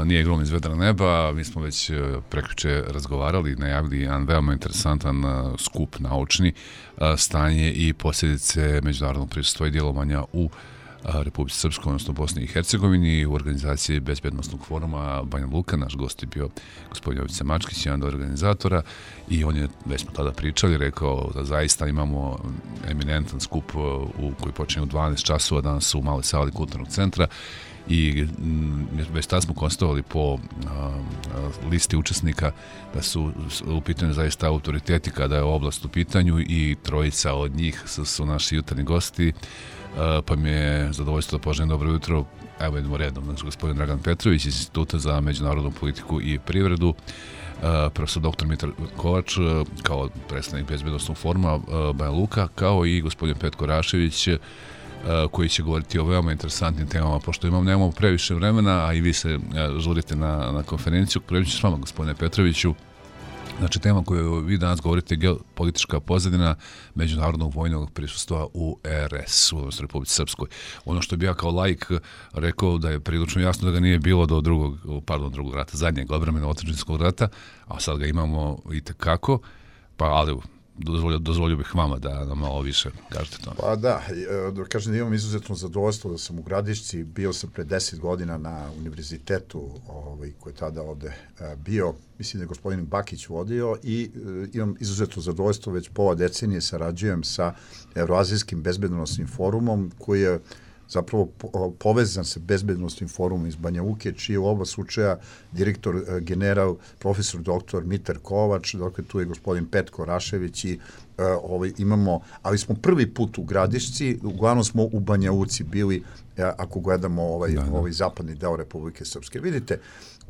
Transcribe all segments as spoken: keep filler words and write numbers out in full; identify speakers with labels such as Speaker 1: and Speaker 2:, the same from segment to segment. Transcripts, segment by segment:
Speaker 1: nije igrom iz vedra neba. Mi smo već prekjuče razgovarali, najavili jedan veoma interesantan skup naučni, stanje i posljedice međunarodnog prisustva i djelovanja u Republici Srpskoj, odnosno Bosni i Hercegovini, u organizaciji Bezbjednostnog foruma Banja Luka. Naš gost je bio gospodin Jovica Mačkić, jedan od organizatora, i on je, već smo tada pričali, rekao da zaista imamo eminentan skup u koji počinje u dvanaest časova danas u maloj sali kulturnog centra, i već tada smo konstatovali po a, listi učesnika da su u pitanju zaista autoriteti kada je oblast u pitanju, i trojica od njih su, su naši jutarnji gosti. Uh, pa mi je zadovoljstvo da poželim dobro jutro. Evo idemo redom. Znači, gospodin Dragan Petrović iz Instituta za međunarodnu politiku i privredu, uh, profesor doktor Mitar Kovač uh, kao predstavnik Bezbjednosnog foruma uh, Banja Luka, kao i gospodin Petko Rašević, uh, koji će govoriti o veoma interesantnim temama, pošto imam, nemamo previše vremena, a i vi se uh, žurite na, na konferenciju. Prvi ću s vama, gospodine Petroviću. Znači, tema koju vi danas govorite je geopolitička pozadina međunarodnog vojnog prisustva u R S, u Republici Srpskoj. Ono što bi ja kao laik rekao da je prilično jasno da ga nije bilo do drugog, pardon, drugog rata, zadnjeg odbrambeno otadžbinskog rata, a sad ga imamo i tekako, pa ali dozvolio, dozvolio bih vama da nam malo više kažete to.
Speaker 2: Pa da, da kažem da imam izuzetno zadovoljstvo da sam u Gradišci, bio sam pre deset godina na univerzitetu ovaj, koji je tada ovde bio, mislim da je gospodin Bakić vodio, i imam izuzetno zadovoljstvo, već pola decenije sarađujem sa Evroazijskim bezbednosnim forumom, koji je zapravo povezan sa bezbednostnim forumom iz Banja Luke, čiji je u oba slučaja direktor general, profesor doktor Mitar Kovač, dakle tu je gospodin Petko Rašević, i uh, ovaj, imamo, ali smo prvi put u Gradišci, uglavnom smo u Banja Luci bili, uh, ako gledamo ovaj, da, da. ovaj zapadni deo Republike Srpske. Vidite,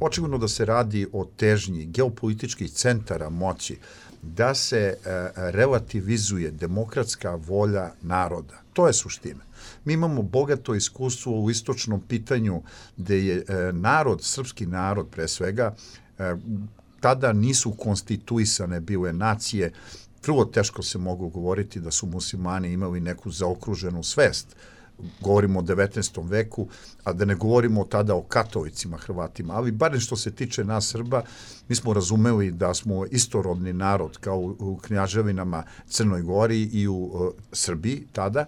Speaker 2: očigledno da se radi o težnji geopolitičkih centara moći, da se uh, relativizuje demokratska volja naroda. To je suština. Mi imamo bogato iskustvo u istočnom pitanju gde je e, narod, srpski narod pre svega, e, tada nisu konstituisane bile nacije. Vrlo teško se mogu govoriti da su muslimani imali neku zaokruženu svest. Govorimo o devetnaestom veku, a da ne govorimo tada o katolicima, Hrvatima, ali barem što se tiče nas Srba, mi smo razumeli da smo istorodni narod kao u, u knjaževinama Crnoj Gori i u uh, Srbiji tada.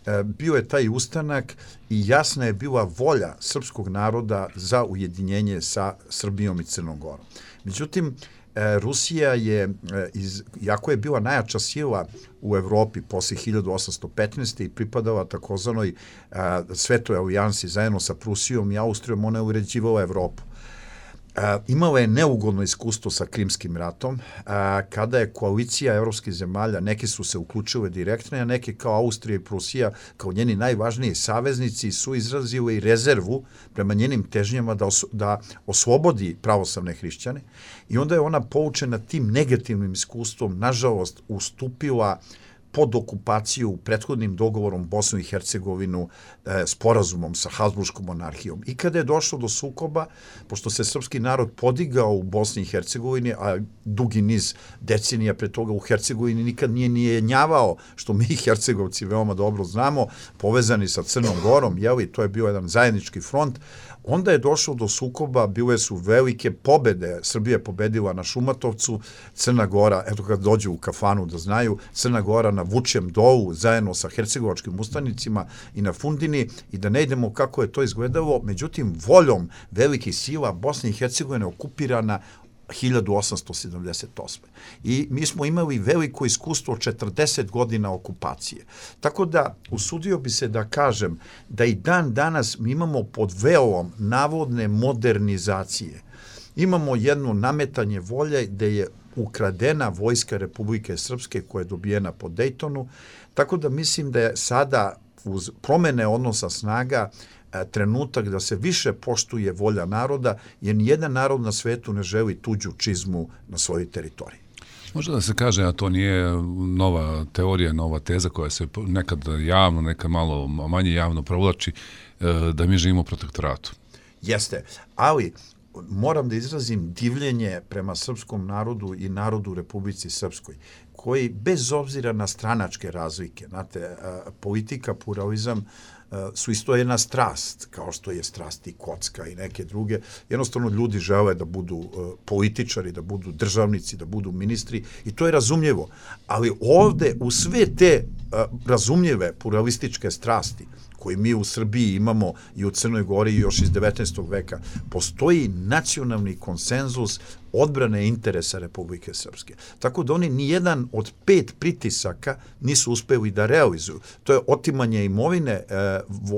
Speaker 2: E, bio je taj ustanak i jasna je bila volja srpskog naroda za ujedinjenje sa Srbijom i Crnom Gorom. Međutim, e, Rusija je, e, iz, jako je bila najjača sila u Evropi posle hiljadu osamsto petnaeste. i pripadala takozvanoj e, Svetoj alijansi zajedno sa Prusijom i Austrijom, ona je uređivala Evropu. Uh, imala je neugodno iskustvo sa Krimskim ratom, uh, kada je koalicija evropskih zemalja, neke su se uključile direktno, a neke kao Austrija i Prusija, kao njeni najvažniji saveznici, su izrazile i rezervu prema njenim težnjama da, os da oslobodi pravoslavne hrišćane, i onda je ona poučena tim negativnim iskustvom, nažalost, ustupila pod okupaciju prethodnim dogovorom Bosnu i Hercegovinu, e, sporazumom sa Habsburškom monarhijom. I kada je došlo do sukoba, pošto se srpski narod podigao u Bosni i Hercegovini, a dugi niz decenija pre toga u Hercegovini nikad nije nijenjavao, što mi Hercegovci veoma dobro znamo, povezani sa Crnom Gorom, jeli, to je bio jedan zajednički front. Onda je došlo do sukoba, bile su velike pobede, Srbija je pobedila na Šumatovcu, Crna Gora, eto kad dođu u kafanu da znaju, Crna Gora na Vučjem dolu zajedno sa hercegovačkim ustanicima i na Fundini, i da ne idemo kako je to izgledalo, međutim voljom velikih sila Bosna i Hercegovina je okupirana hiljadu osamsto sedamdeset osme. I mi smo imali veliko iskustvo četrdeset godina okupacije. Tako da usudio bi se da kažem da i dan danas mi imamo pod velom navodne modernizacije. Imamo jedno nametanje volje gde je ukradena vojska Republike Srpske koja je dobijena po Dejtonu. Tako da mislim da je sada uz promene odnosa snaga trenutak da se više poštuje volja naroda, jer nijedan narod na svetu ne želi tuđu čizmu na svojoj teritoriji.
Speaker 1: Možda da se kaže, a to nije nova teorija, nova teza koja se nekad javno, nekad malo manje javno provlači, da mi živimo u protektoratu.
Speaker 2: Jeste, ali moram da izrazim divljenje prema srpskom narodu i narodu u Republici Srpskoj, koji bez obzira na stranačke razlike, znate, politika, pluralizam, su isto jedna strast, kao što je strast i kocka i neke druge. Jednostavno ljudi žele da budu političari, da budu državnici, da budu ministri i to je razumljivo. Ali ovde u sve te razumljive pluralističke strasti koji mi u Srbiji imamo i u Crnoj Gori još iz devetnaestog veka, postoji nacionalni konsenzus odbrane interesa Republike Srpske. Tako da oni nijedan od pet pritisaka nisu uspeli da realizuju. To je otimanje imovine e,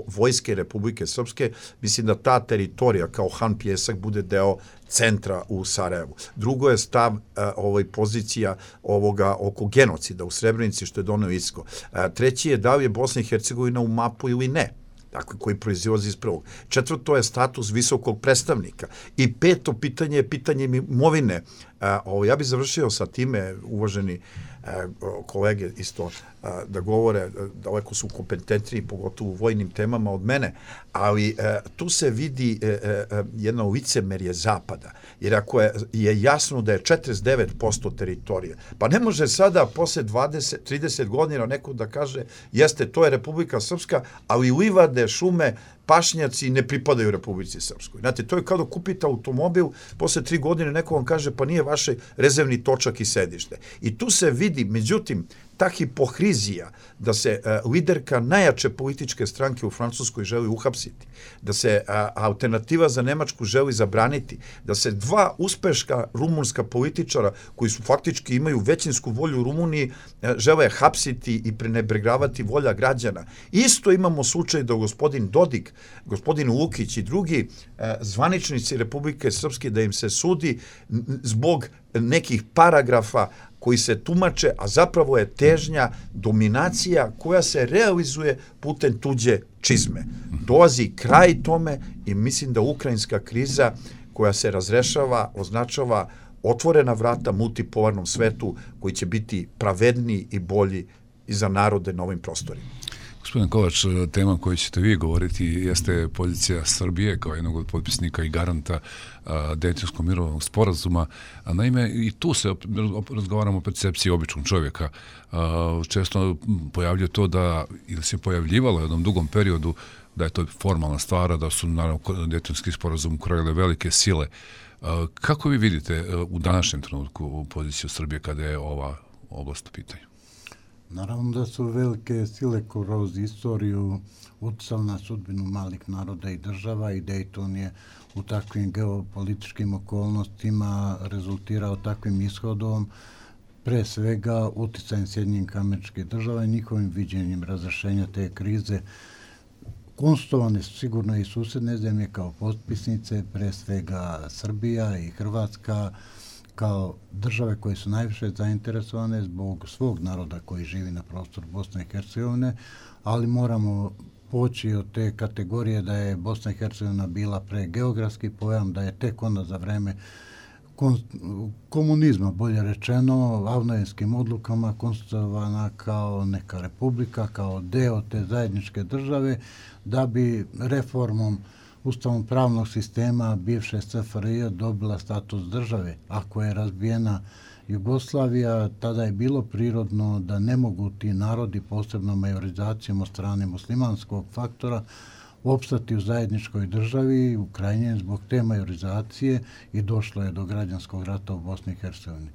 Speaker 2: vojske Republike Srpske. Mislim da ta teritorija kao Han Pjesak bude deo centra u Sarajevu. Drugo je stav, e, ovaj, pozicija ovoga oko genocida u Srebrenici, što je doneo Isko. E, treći je da li je Bosna i Hercegovina u mapu ili ne, dakle, koji proizilazi iz prvog. Četvrto je status visokog predstavnika. I peto pitanje je pitanje imovine. A, ovo, ja bih završio sa time, uvaženi a, kolege, isto a, da govore, daleko su kompetentniji, pogotovo u vojnim temama od mene, ali a, tu se vidi a, a, jedno licemerje Zapada. Jer ako je, je jasno da je četrdeset devet posto teritorije, pa ne može sada posle dvadeset trideset godina neko da kaže jeste, to je Republika Srpska, ali livade, šume, pašnjaci ne pripadaju Republici Srpskoj. Znate, to je kao da kupite automobil, posle tri godine neko vam kaže pa nije vaše rezervni točak i sedište. I tu se vidi, međutim, ta hipokrizija da se uh, liderka najjače političke stranke u Francuskoj želi uhapsiti, da se uh, alternativa za Nemačku želi zabraniti, da se dva uspeška rumunska političara koji su faktički imaju većinsku volju u Rumuniji uh, žele hapsiti i prenebregavati volja građana. Isto imamo slučaj da gospodin Dodik, gospodin Lukić i drugi uh, zvaničnici Republike Srpske da im se sudi zbog nekih paragrafa koji se tumače, a zapravo je težnja dominacija koja se realizuje putem tuđe čizme. Dolazi kraj tome i mislim da ukrajinska kriza koja se razrešava označava otvorena vrata multipolarnom svetu koji će biti pravedniji i bolji i za narode na ovim prostorima.
Speaker 1: Gospodin Kovač, tema koju ćete vi govoriti jeste pozicija Srbije kao jednog od potpisnika i garanta Dejtonskog mirovnog sporazuma. Naime, i tu se razgovaramo o percepciji običnog čovjeka. Često pojavljuje to da, ili se pojavljivalo u jednom dugom periodu, da je to formalna stvar, da su naravno Dejtonski sporazum krojile velike sile. Kako vi vidite u današnjem trenutku poziciju Srbije kada je ova oblast u pitanju?
Speaker 3: Naravno da su velike sile kroz istoriju utjecali na sudbinu malih naroda i država i Dejton je u takvim geopolitičkim okolnostima rezultirao takvim ishodom, pre svega utjecajem Sjedinjenih Američkih Država i njihovim viđenjem razrešenja te krize. Konstatovane su sigurno i susedne zemlje kao potpisnice, pre svega Srbija i Hrvatska, kao države koje su najviše zainteresovane zbog svog naroda koji živi na prostoru Bosne i Hercegovine, ali moramo poći od te kategorije da je Bosna i Hercegovina bila pre geografski pojam, da je tek onda za vreme komunizma, bolje rečeno, avnojenskim odlukama konstituovana kao neka republika, kao deo te zajedničke države, da bi reformom Ustavom pravnog sistema bivše S F R J dobila status države. Ako je razbijena Jugoslavija, tada je bilo prirodno da ne mogu ti narodi, posebno majorizacijom od strane muslimanskog faktora, opstati u zajedničkoj državi, u krajnjem zbog te majorizacije i došlo je do građanskog rata u Bosni i Hercegovini.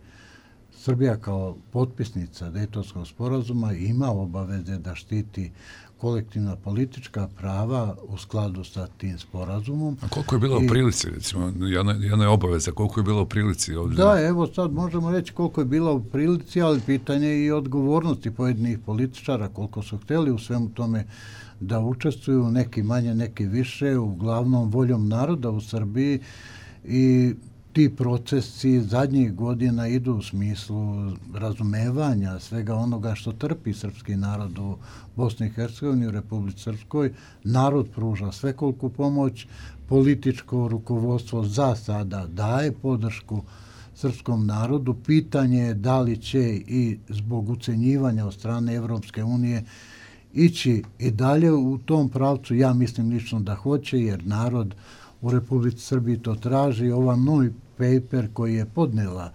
Speaker 3: Srbija kao potpisnica Dejtonskog sporazuma ima obaveze da štiti kolektivna politička prava u skladu sa tim sporazumom.
Speaker 1: A koliko je bilo I, u prilici, recimo, jedna, jedna je obaveza, koliko je bilo u prilici ovdje?
Speaker 3: Da, evo sad možemo reći koliko je bilo u prilici, ali pitanje je i odgovornosti pojedinih političara, koliko su htjeli u svemu tome da učestvuju, neki manje, neki više, uglavnom voljom naroda u Srbiji i ti procesi zadnjih godina idu u smislu razumevanja svega onoga što trpi srpski narod u Bosni i Hercegovini, u Republici Srpskoj. Narod pruža svekoliku pomoć, političko rukovodstvo za sada daje podršku srpskom narodu. Pitanje je da li će i zbog ucenjivanja od strane Evropske unije ići i dalje u tom pravcu. Ja mislim lično da hoće, jer narod u Republici Srbiji to traži. Ova novi paper koji je podnela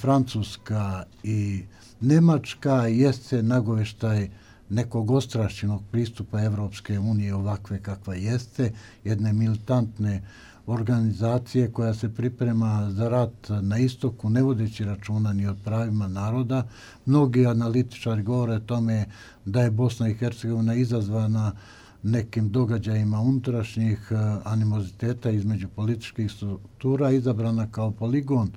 Speaker 3: Francuska i Nemačka jeste nagoveštaj nekog ostrašćenog pristupa Evropske unije ovakve kakva jeste, jedne militantne organizacije koja se priprema za rat na istoku, ne vodeći računa ni od pravima naroda. Mnogi analitičari govore o tome da je Bosna i Hercegovina izazvana nekim događajima unutrašnjih animoziteta između političkih struktura, izabrana kao poligon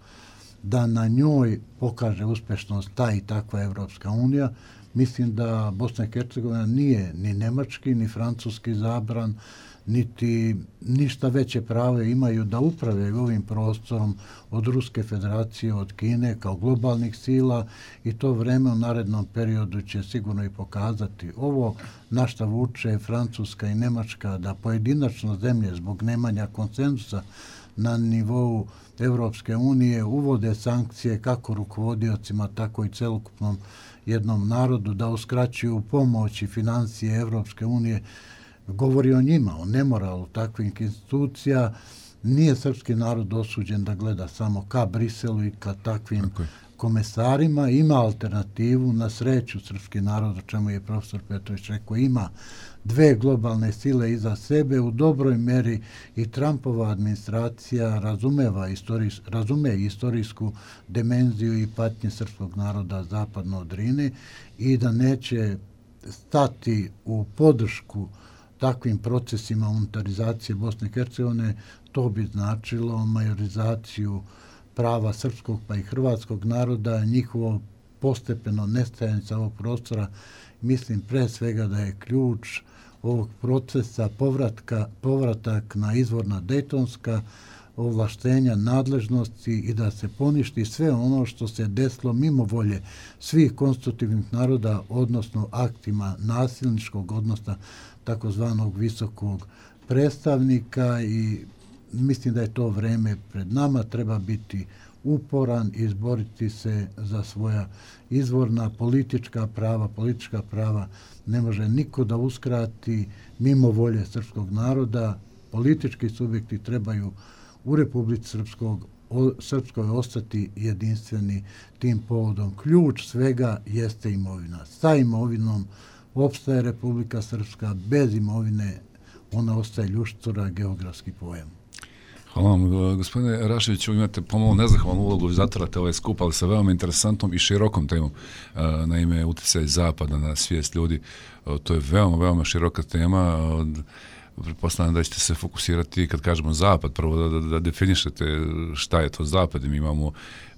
Speaker 3: da na njoj pokaže uspešnost ta i takva Evropska unija. Mislim da Bosna i Hercegovina nije ni nemački, ni francuski zabran, niti ništa veće pravo imaju da upravljaju ovim prostorom od Ruske federacije, od Kine kao globalnih sila i to vreme u narednom periodu će sigurno i pokazati. Ovo na šta vuče Francuska i Nemačka da pojedinačno zemlje zbog nemanja konsenzusa na nivou Evropske unije uvode sankcije kako rukovodiocima, tako i celokupnom jednom narodu, da uskraćuju pomoć i financije Evropske unije, govori o njima, o nemoralu takvih institucija. Nije srpski narod osuđen da gleda samo ka Briselu i ka takvim komesarima. Ima alternativu, na sreću srpski narod, o čemu je profesor Petrović rekao, ima dve globalne sile iza sebe. U dobroj meri i Trumpova administracija razumeva istorijs, razume istorijsku dimenziju i patnje srpskog naroda zapadno od Drine i da neće stati u podršku takvim procesima unitarizacije Bosne i Hercegovine. To bi značilo majorizaciju prava srpskog pa i hrvatskog naroda, njihovo postepeno nestajanje sa ovog prostora. Mislim pre svega da je ključ ovog procesa povratka, povratak na izvorna dejtonska ovlaštenja nadležnosti i da se poništi sve ono što se desilo mimo volje svih konstitutivnih naroda, odnosno aktima nasilničkog odnosa takozvanog visokog predstavnika, i mislim da je to vreme pred nama. Treba biti uporan i izboriti se za svoja izvorna politička prava. Politička prava ne može niko da uskrati mimo volje srpskog naroda. Politički subjekti trebaju u Republici Srpskog, o, Srpskoj ostati jedinstveni tim povodom. Ključ svega jeste imovina. Sa imovinom opstaje Republika Srpska, bez imovine ona ostaje ljuštura, geografski pojam.
Speaker 1: Hvala vam, gospodine Raševiću, imate pomalo nezahvalnu ulogu, vi zatvarate ovaj skup, ali sa veoma interesantnom i širokom temom, naime utjecaj Zapada na svijest ljudi. To je veoma, veoma široka tema. Pretpostavljam da ćete se fokusirati, kad kažemo Zapad, prvo da, da, da definišete šta je to Zapad. Mi imamo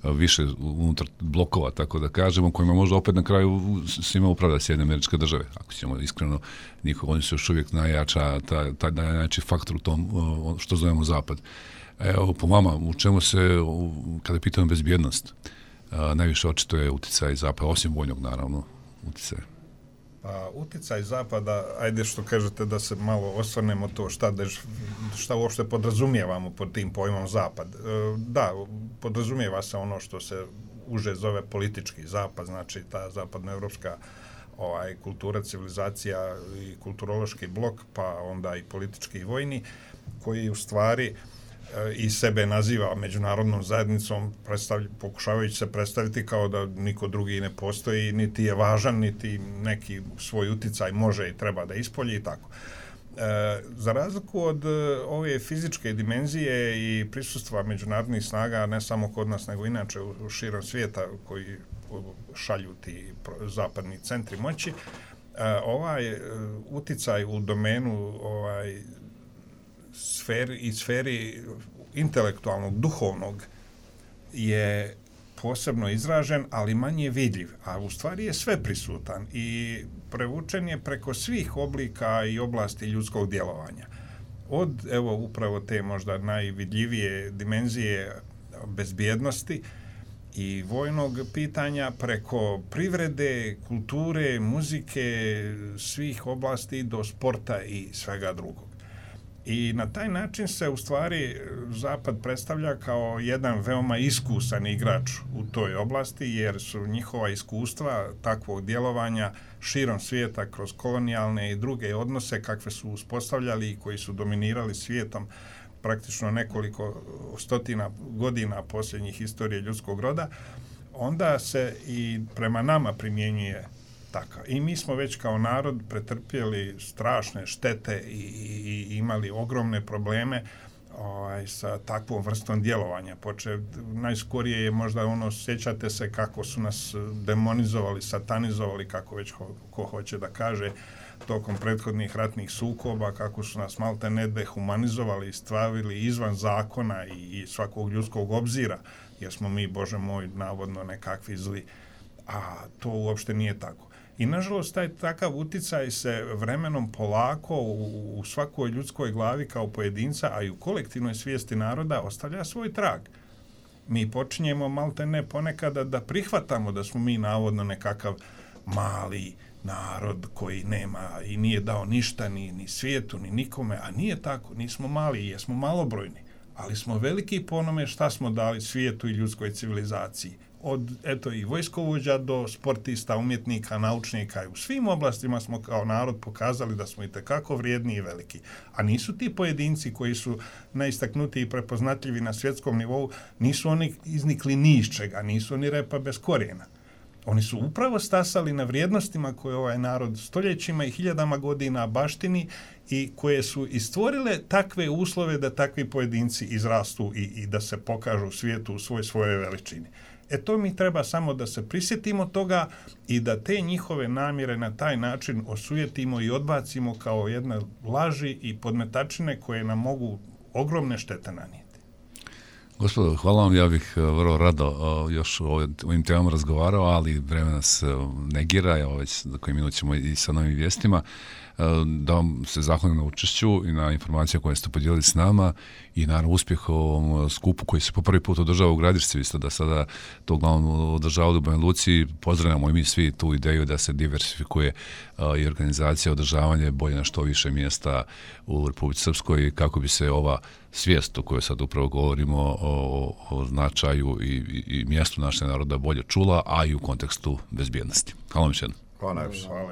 Speaker 1: više unutar blokova, tako da kažemo, kojima možda opet na kraju svima upravlja Sjedinjene Američke Države. Ako ćemo iskreno, njihov, oni su još uvijek najjača, taj, taj najjači faktor u tom što zovemo Zapad. Evo, po vama, u čemu se, kada pitamo bezbjednost, najviše očito je utjecaj Zapada, osim vojnog, naravno, utjecaj.
Speaker 4: Pa, utjecaj Zapada, ajde što kažete da se malo osvrnemo to šta, dež, šta uopšte podrazumijevamo pod tim pojmom Zapad. E, da, podrazumijeva se ono što se uže zove politički Zapad, znači ta zapadnoevropska ovaj, kultura, civilizacija i kulturološki blok, pa onda i politički i vojni, koji u stvari i sebe naziva međunarodnom zajednicom, pokušavajući se predstaviti kao da niko drugi ne postoji, niti je važan, niti neki svoj uticaj može i treba da ispolji i tako. E, za razliku od ove fizičke dimenzije i prisustva međunarodnih snaga, ne samo kod nas, nego inače u, u širom svijeta koji šalju ti zapadni centri moći, e, ovaj uticaj u domenu ovaj, sferi i sferi intelektualnog, duhovnog je posebno izražen, ali manje vidljiv, a u stvari je sve prisutan i prevučen je preko svih oblika i oblasti ljudskog djelovanja. Od, evo, upravo te možda najvidljivije dimenzije bezbjednosti i vojnog pitanja, preko privrede, kulture, muzike, svih oblasti do sporta i svega drugog. I na taj način se u stvari Zapad predstavlja kao jedan veoma iskusan igrač u toj oblasti, jer su njihova iskustva takvog djelovanja širom svijeta kroz kolonijalne i druge odnose kakve su uspostavljali i koji su dominirali svijetom praktično nekoliko stotina godina posljednjih historije ljudskog roda, onda se i prema nama primjenjuje takav. I mi smo već kao narod pretrpjeli strašne štete i, i, i imali ogromne probleme ovaj, sa takvom vrstom djelovanja. Počev, najskorije je možda ono, sjećate se kako su nas demonizovali, satanizovali, kako već ko, ko hoće da kaže, tokom prethodnih ratnih sukoba, kako su nas malte ne dehumanizovali i stavili izvan zakona i, i svakog ljudskog obzira, jer smo mi, Bože moj, navodno nekakvi zli. A to uopšte nije tako. I nažalost taj takav uticaj se vremenom polako u, u svakoj ljudskoj glavi kao pojedinca, a i u kolektivnoj svijesti naroda ostavlja svoj trag. Mi počinjemo malte ne ponekada da prihvatamo da smo mi navodno nekakav mali narod koji nema i nije dao ništa ni, ni svijetu, ni nikome, a nije tako, nismo mali, jesmo malobrojni, ali smo veliki po onome šta smo dali svijetu i ljudskoj civilizaciji. Od, eto, i vojskovođa do sportista, umjetnika, naučnika, i u svim oblastima smo kao narod pokazali da smo itekako vrijedni i veliki. A nisu ti pojedinci koji su najistaknutiji i prepoznatljivi na svjetskom nivou, nisu oni iznikli ni iz čega, nisu oni repa bez korijena. Oni su upravo stasali na vrijednostima koje ovaj narod stoljećima i hiljadama godina baštini i koje su i stvorile takve uslove da takvi pojedinci izrastu i, i da se pokažu u svijetu u svoj svojoj veličini. E to mi treba samo da se prisjetimo toga i da te njihove namjere na taj način osujetimo i odbacimo kao jedne laži i podmetačine koje nam mogu ogromne štete nanijeti.
Speaker 1: Gospodo, hvala vam, ja bih vrlo rado još o ovim temama razgovarao, ali vreme nas negira, evo već za koji minut ćemo i sa novim vijestima. Da vam se zahvalim na učešću i na informacije koje ste podijelili s nama i naravno uspjeh u ovom skupu koji se po prvi put održava u Gradišci, vi ste da sada to uglavnom održavali u Banja Luci. Pozdravljamo i mi svi tu ideju da se diversifikuje i organizacija, održavanje bolje na što više mjesta u Republici Srpskoj kako bi se ova svijest o kojoj sad upravo govorimo o, o značaju i, i, i mjestu našeg naroda bolje čula, a i u kontekstu bezbjednosti. Hvala vam još jednom.
Speaker 2: Hvala najviše.
Speaker 4: Hvala.